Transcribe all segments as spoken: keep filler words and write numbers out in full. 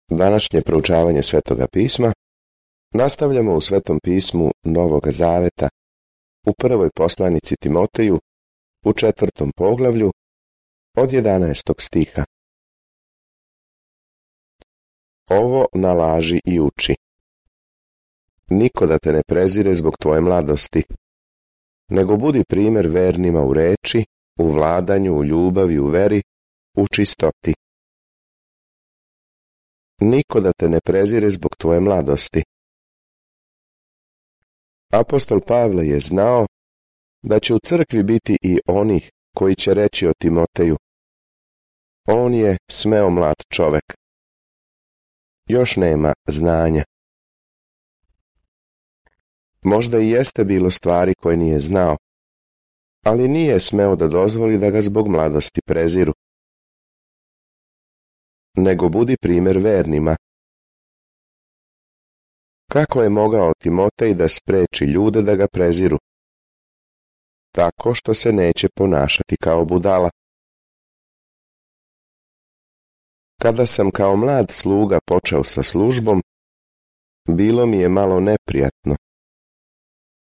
Današnje proučavanje Svetoga pisma nastavljamo u Svetom pismu Novoga Zaveta, u prvoj poslanici Timoteju, u četvrtom poglavlju, od jedanaestog stiha. Ovo nalaži i uči. Niko da te ne prezire zbog tvoje mladosti, nego budi primjer vernima u reči, u vladanju, u ljubavi, u veri, u čistoti. Niko da te ne prezire zbog tvoje mladosti. Apostol Pavle je znao da će u crkvi biti i onih koji će reći o Timoteju: on je smeo mlad čovek. Još nema znanja. Možda i jeste bilo stvari koje nije znao, ali nije smeo da dozvoli da ga zbog mladosti preziru. Nego budi primjer vernima. Kako je mogao Timotej da spreči ljude da ga preziru? Tako što se neće ponašati kao budala. Kada sam kao mlad sluga počeo sa službom, bilo mi je malo neprijatno.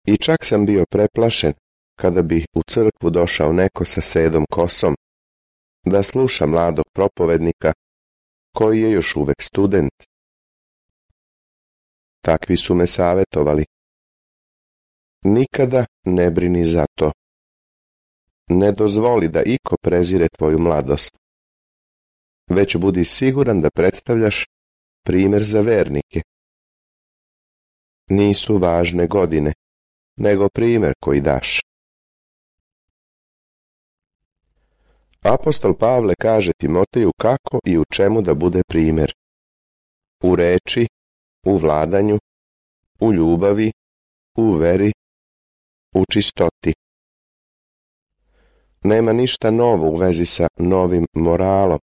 I čak sam bio preplašen kada bi u crkvu došao neko sa sedom kosom, da sluša mladog propovednika koji je još uvek student. Takvi su me savjetovali: nikada ne brini za to. Ne dozvoli da iko prezire tvoju mladost, već budi siguran da predstavljaš primjer za vernike. Nisu važne godine, nego primjer koji daš. Apostol Pavle kaže Timoteju kako i u čemu da bude primjer. U reči, u vladanju, u ljubavi, u veri, u čistoti. Nema ništa novo u vezi sa novim moralom.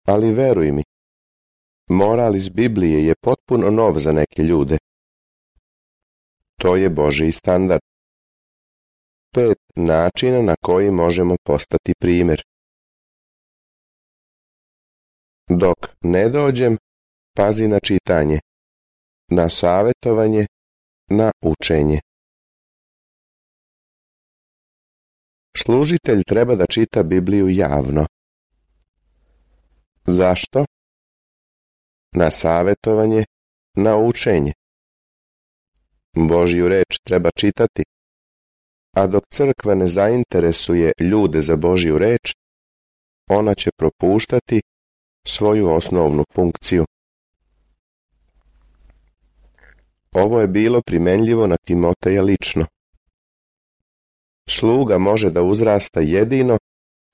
Ali veruj mi, moral iz Biblije je potpuno nov za neke ljude. To je Božji standard. Pet načina na koji možemo postati primjer. Dok ne dođem, pazi na čitanje, na savjetovanje, na učenje. Služitelj treba da čita Bibliju javno. Zašto? Na savjetovanje, na učenje. Božju reč treba čitati, a dok crkva ne zainteresuje ljude za Božju reč, ona će propuštati svoju osnovnu funkciju. Ovo je bilo primenljivo na Timoteja lično. Sluga može da uzrasta jedino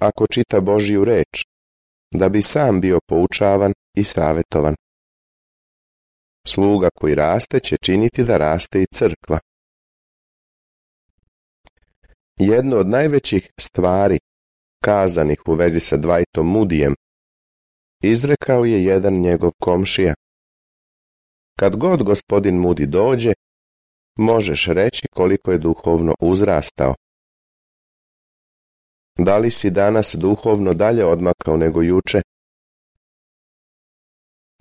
ako čita Božju reč, da bi sam bio poučavan i savjetovan. Sluga koji raste će činiti da raste i crkva. Jedno od najvećih stvari kazanih u vezi sa Dwightom Moodyjem izrekao je jedan njegov komšija: kad god gospodin Moody dođe, možeš reći koliko je duhovno uzrastao. Da li si danas duhovno dalje odmakao nego juče?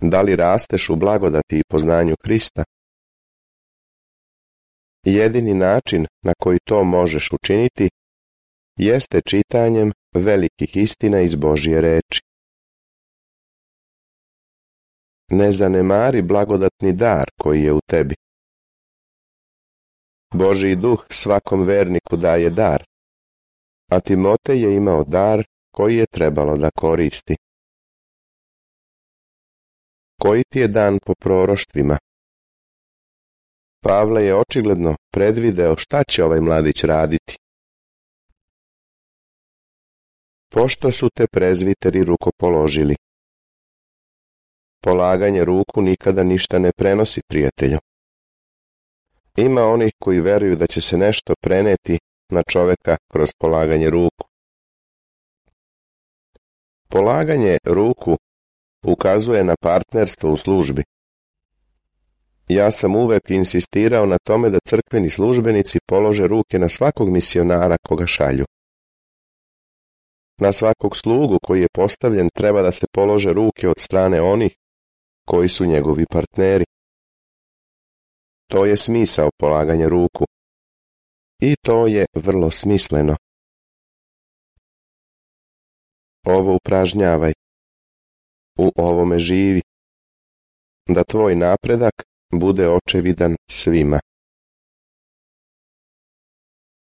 Da li rasteš u blagodati i poznanju Hrista? Jedini način na koji to možeš učiniti jeste čitanjem velikih istina iz Božje reči. Ne zanemari blagodatni dar koji je u tebi. Božji duh svakom verniku daje dar, a Timotej je imao dar koji je trebalo da koristi. Koji ti je dan po proroštvima? Pavle je očigledno predvideo šta će ovaj mladić raditi. Pošto su te prezviteri rukopoložili. Polaganje ruku nikada ništa ne prenosi, prijatelju. Ima onih koji veruju da će se nešto preneti na čoveka kroz polaganje ruku. Polaganje ruku ukazuje na partnerstvo u službi. Ja sam uvek insistirao na tome da crkveni službenici polože ruke na svakog misionara koga šalju. Na svakog slugu koji je postavljen treba da se polože ruke od strane onih koji su njegovi partneri. To je smisao polaganja ruku. I to je vrlo smisleno. Ovo upražnjavaj. U ovome živi. Da tvoj napredak bude očevidan svima.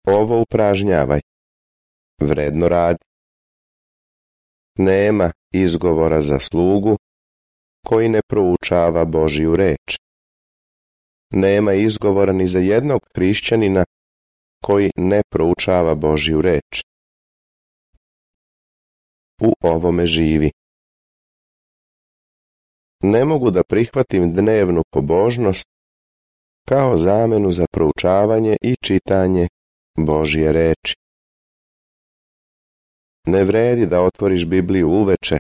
Ovo upražnjavaj. Vredno radi. Nema izgovora za slugu koji ne proučava Božju reč. Nema izgovora ni za jednog hrišćanina koji ne proučava Božju reč. U ovome živi. Ne mogu da prihvatim dnevnu pobožnost kao zamenu za proučavanje i čitanje Božje reči. Ne vredi da otvoriš Bibliju uveče,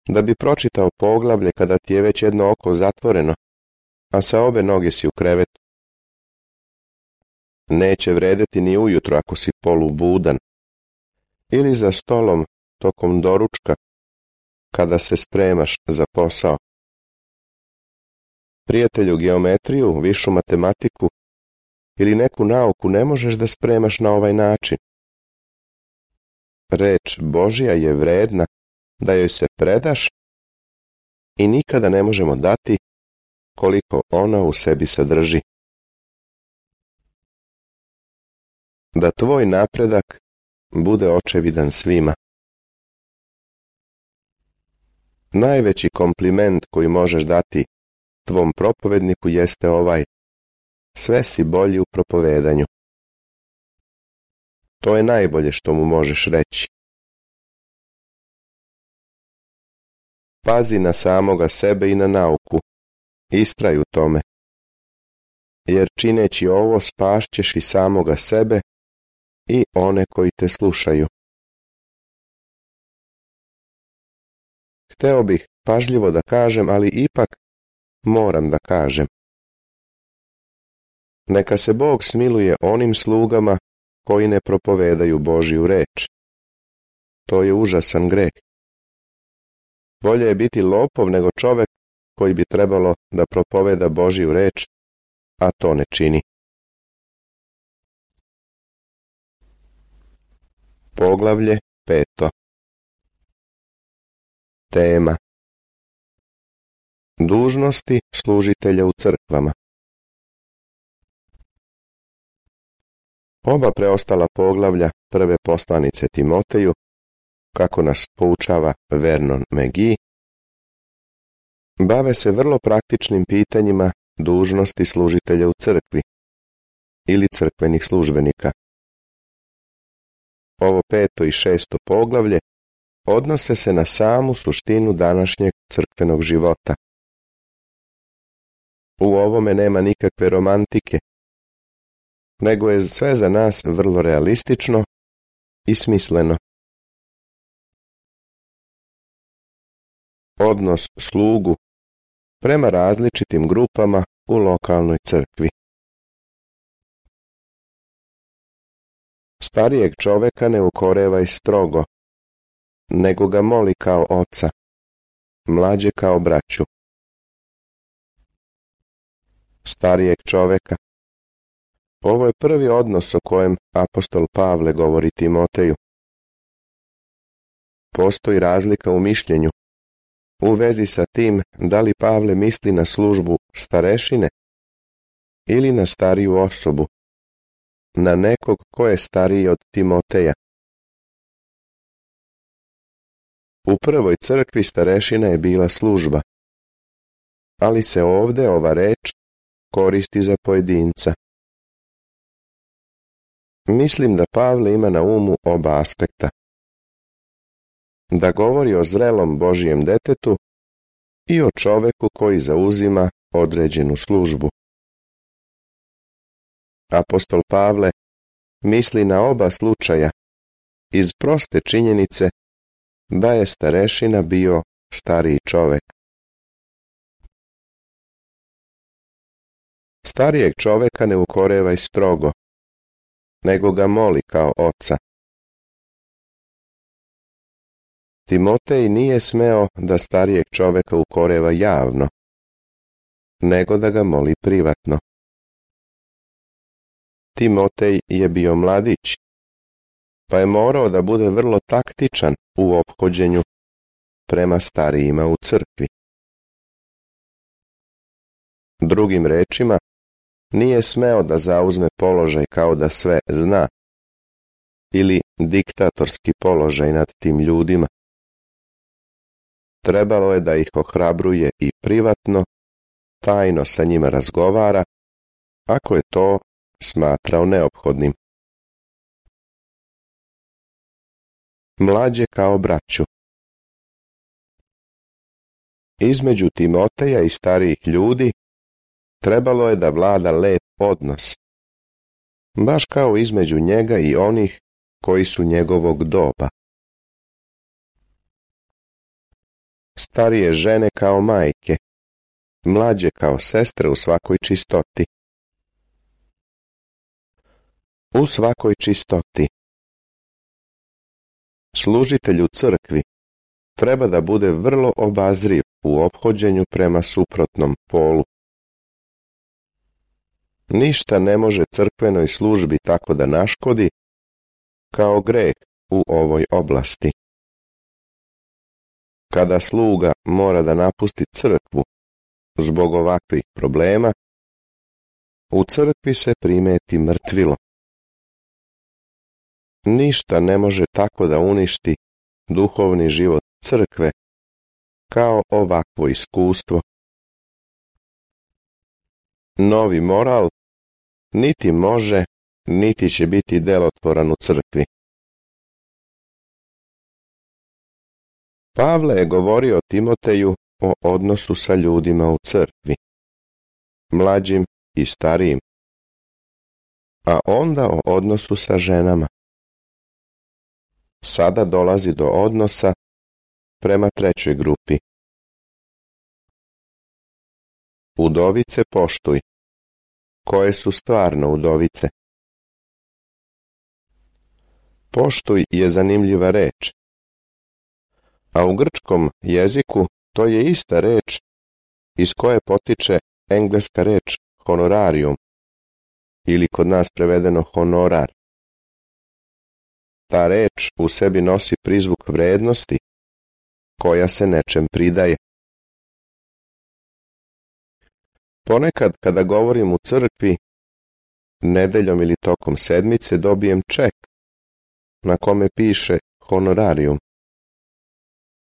da bi pročitao poglavlje kada ti je već jedno oko zatvoreno, a sa obe noge si u krevetu. Neće vredeti ni ujutro ako si polubudan, ili za stolom tokom doručka, kada se spremaš za posao. Prijatelju, geometriju, višu matematiku ili neku nauku ne možeš da spremaš na ovaj način. Reč Božja je vredna da joj se predaš i nikada ne možemo dati koliko ona u sebi sadrži. Da tvoj napredak bude očevidan svima. Najveći kompliment koji možeš dati tvom propovedniku jeste ovaj: sve si bolji u propovedanju. To je najbolje što mu možeš reći. Pazi na samoga sebe i na nauku. Istraj u tome. Jer čineći ovo spašćeš i samoga sebe i one koji te slušaju. Hteo bih pažljivo da kažem, ali ipak moram da kažem. Neka se Bog smiluje onim slugama koji ne propovedaju Božju reč. To je užasan greh. Bolje je biti lopov nego čovek koji bi trebalo da propoveda Božju reč, a to ne čini. Poglavlje peto. Tema: dužnosti služitelja u crkvama. Oba preostala poglavlja prve poslanice Timoteju, kako nas poučava Vernon McGee, bave se vrlo praktičnim pitanjima dužnosti služitelja u crkvi ili crkvenih službenika. Ovo peto i šesto poglavlje odnose se na samu suštinu današnjeg crkvenog života. U ovome nema nikakve romantike, nego je sve za nas vrlo realistično i smisleno. Odnos slugu prema različitim grupama u lokalnoj crkvi. Starijeg čoveka ne ukorevaj strogo, nego ga moli kao oca, mlađe kao braću. Starijeg čoveka. Ovo je prvi odnos o kojem apostol Pavle govori Timoteju. Postoji razlika u mišljenju u vezi sa tim da li Pavle misli na službu starešine ili na stariju osobu, na nekog ko je stariji od Timoteja. U prvoj crkvi starešina je bila služba, ali se ovde ova reč koristi za pojedinca. Mislim da Pavle ima na umu oba aspekta. Da govori o zrelom Božijem detetu i o čoveku koji zauzima određenu službu. Apostol Pavle misli na oba slučaja iz proste činjenice da je starešina bio stariji čovek. Starijeg čoveka ne ukorevaj strogo, nego ga moli kao oca. Timotej nije smeo da starijeg čoveka ukoreva javno, nego da ga moli privatno. Timotej je bio mladić, pa je morao da bude vrlo taktičan u ophođenju prema starijima u crkvi. Drugim rečima, nije smeo da zauzme položaj kao da sve zna ili diktatorski položaj nad tim ljudima. Trebalo je da ih ohrabruje i privatno, tajno sa njima razgovara, ako je to smatrao neophodnim. Mlađe kao braću. Između Timoteja i starijih ljudi trebalo je da vlada lep odnos, baš kao između njega i onih koji su njegovog doba. Starije žene kao majke, mlađe kao sestre u svakoj čistoti. U svakoj čistoti. Služitelj u crkvi treba da bude vrlo obazriv u ophođenju prema suprotnom polu. Ništa ne može crkvenoj službi tako da naškodi kao greh u ovoj oblasti. Kada sluga mora da napusti crkvu zbog ovakvih problema, u crkvi se primeti mrtvilo. Ništa ne može tako da uništi duhovni život crkve kao ovakvo iskustvo. Novi moral niti može, niti će biti delotvoran u crkvi. Pavle je govorio Timoteju o odnosu sa ljudima u crkvi, mlađim i starijim, a onda o odnosu sa ženama. Sada dolazi do odnosa prema trećoj grupi. Udovice poštuj. Koje su stvarno udovice? Poštuj je zanimljiva reč, a u grčkom jeziku to je ista reč iz koje potiče engleska reč honorarium, ili kod nas prevedeno honorar. Ta reč u sebi nosi prizvuk vrednosti koja se nečem pridaje. Ponekad kada govorim u crkvi, nedeljom ili tokom sedmice dobijem ček na kome piše honorarium.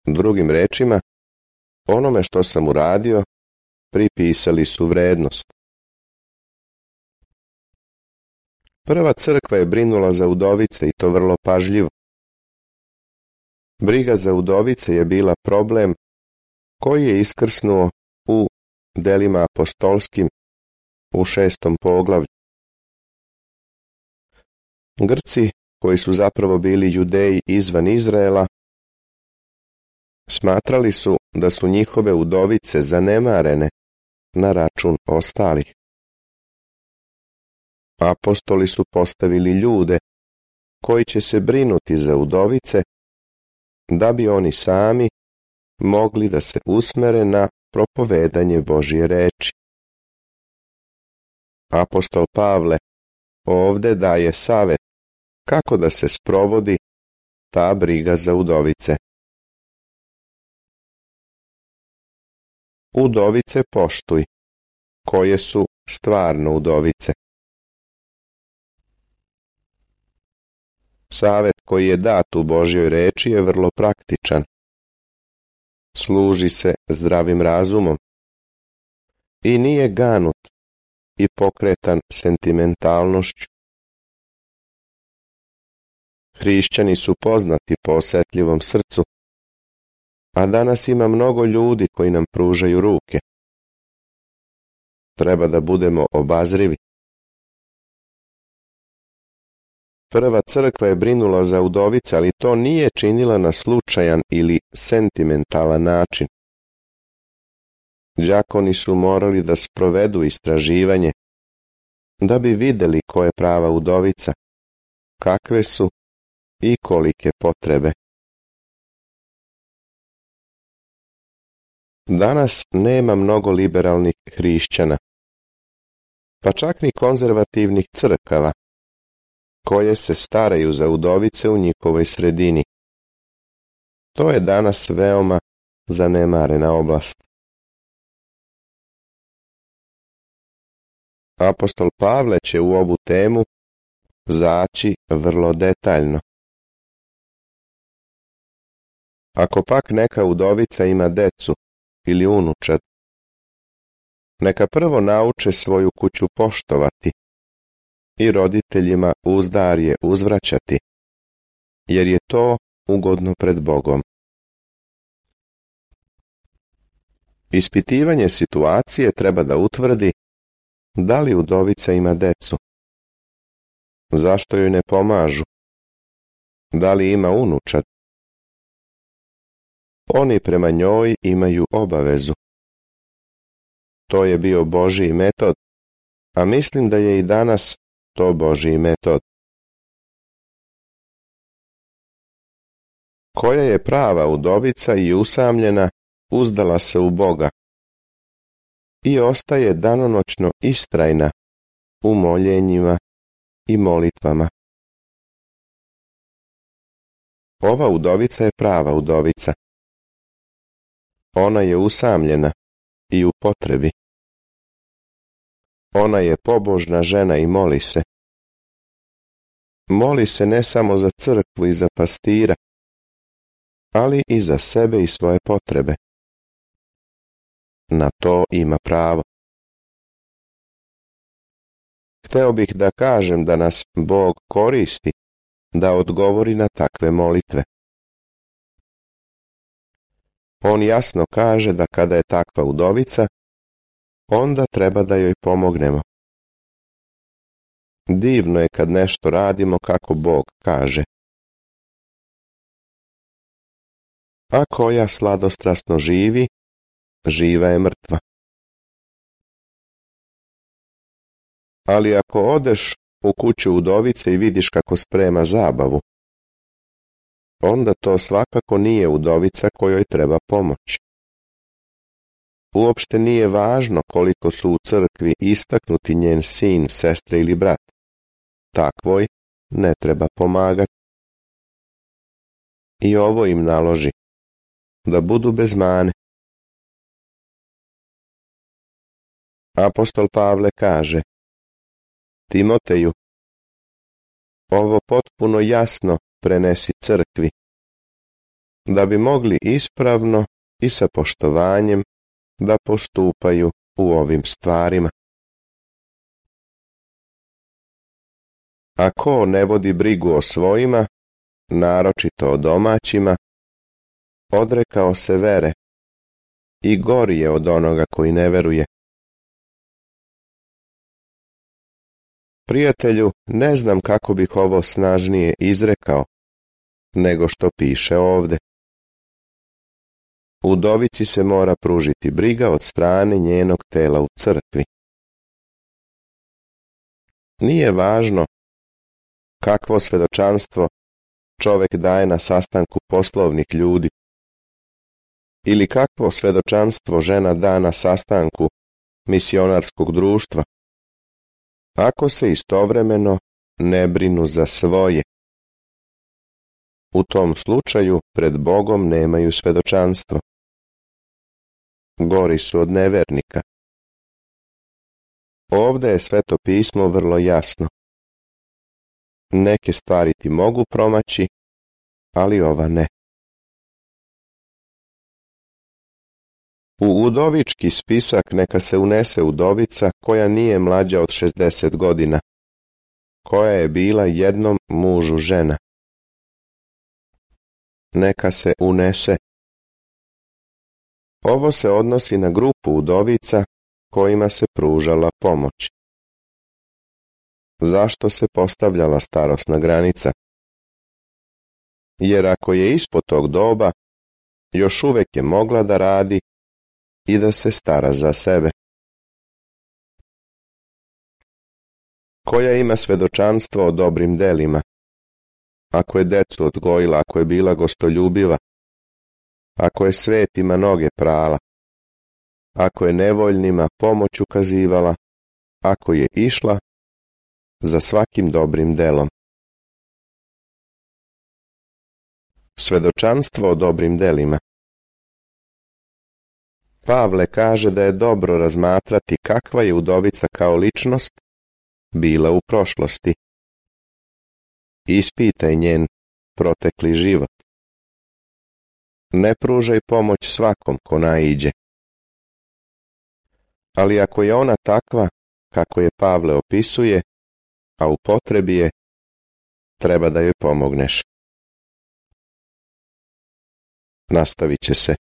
Drugim rečima, onome što sam uradio pripisali su vrednost. Prva crkva je brinula za udovice i to vrlo pažljivo. Briga za udovice je bila problem koji je iskrsnuo u delima apostolskim u šestom poglavlju. Grci, koji su zapravo bili Judeji izvan Izraela, smatrali su da su njihove udovice zanemarene na račun ostalih. Apostoli su postavili ljude koji će se brinuti za udovice, da bi oni sami mogli da se usmere na propovedanje Božje reči. Apostol Pavle ovde daje savet kako da se sprovodi ta briga za udovice. Udovice poštuj, koje su stvarno udovice. Savet koji je dat u Božjoj reči je vrlo praktičan. Služi se zdravim razumom i nije ganut i pokretan sentimentalnošću. Hrišćani su poznati po osetljivom srcu, a danas ima mnogo ljudi koji nam pružaju ruke. Treba da budemo obazrivi. Prva crkva je brinula za udovice, ali to nije činila na slučajan ili sentimentalan način. Đakoni su morali da sprovedu istraživanje, da bi videli ko je prava udovica, kakve su i kolike potrebe. Danas nema mnogo liberalnih hrišćana, pa čak ni konzervativnih crkava, koje se staraju za udovice u njihovoj sredini. To je danas veoma zanemarena oblast. Apostol Pavle će u ovu temu zaći vrlo detaljno. Ako pak neka udovica ima decu ili unučad, neka prvo nauče svoju kuću poštovati i roditeljima uzdarje uzvraćati, jer je to ugodno pred Bogom. Ispitivanje situacije treba da utvrdi da li udovica ima decu, zašto joj ne pomažu, da li ima unučad. Oni prema njoj imaju obavezu. To je bio Božji metod, a mislim da je i danas to Božji metod. Koja je prava udovica i usamljena, uzdala se u Boga i ostaje danonoćno istrajna u moljenjima i molitvama. Ova udovica je prava udovica. Ona je usamljena i u potrebi. Ona je pobožna žena i moli se. Moli se ne samo za crkvu i za pastira, ali i za sebe i svoje potrebe. Na to ima pravo. Hteo bih da kažem da nas Bog koristi da odgovori na takve molitve. On jasno kaže da kada je takva udovica, onda treba da joj pomognemo. Divno je kad nešto radimo kako Bog kaže. A koja sladostrasno živi, živa je mrtva. Ali ako odeš u kuću udovice i vidiš kako sprema zabavu, onda to svakako nije udovica kojoj treba pomoć. Uopšte nije važno koliko su u crkvi istaknuti njen sin, sestra ili brat. Takvoj ne treba pomagati. I ovo im naloži, da budu bez mane. Apostol Pavle kaže: Timoteju, ovo potpuno jasno prenesi crkvi, da bi mogli ispravno i sa poštovanjem da postupaju u ovim stvarima. A ko ne vodi brigu o svojima, naročito o domaćima, odrekao se vere i gori je od onoga koji ne veruje. Prijatelju, ne znam kako bih ovo snažnije izrekao, nego što piše ovde. Udovici se mora pružiti briga od strane njenog tela u crkvi. Nije važno kakvo svedočanstvo čovek daje na sastanku poslovnih ljudi ili kakvo svedočanstvo žena da na sastanku misionarskog društva, ako se istovremeno ne brinu za svoje. U tom slučaju pred Bogom nemaju svedočanstvo. Gori su od nevernika. Ovde je Sveto pismo vrlo jasno. Neke stvari ti mogu promaći, ali ova ne. U udovički spisak neka se unese udovica koja nije mlađa od šezdeset godina, koja je bila jednom mužu žena. Neka se unese. Ovo se odnosi na grupu udovica kojima se pružala pomoć. Zašto se postavljala starosna granica? Jer ako je ispod tog doba, još uvek je mogla da radi i da se stara za sebe. Koja ima svedočanstvo o dobrim delima, ako je decu odgojila, ako je bila gostoljubiva, ako je svetima noge prala, ako je nevoljnima pomoć ukazivala, ako je išla za svakim dobrim delom. Svedočanstvo o dobrim delima. Pavle kaže da je dobro razmatrati kakva je udovica kao ličnost bila u prošlosti. Ispitaj njen protekli život. Ne pružaj pomoć svakom ko naiđe. Ali ako je ona takva kako je Pavle opisuje, a u potrebi je, treba da joj pomogneš. Nastavit će se.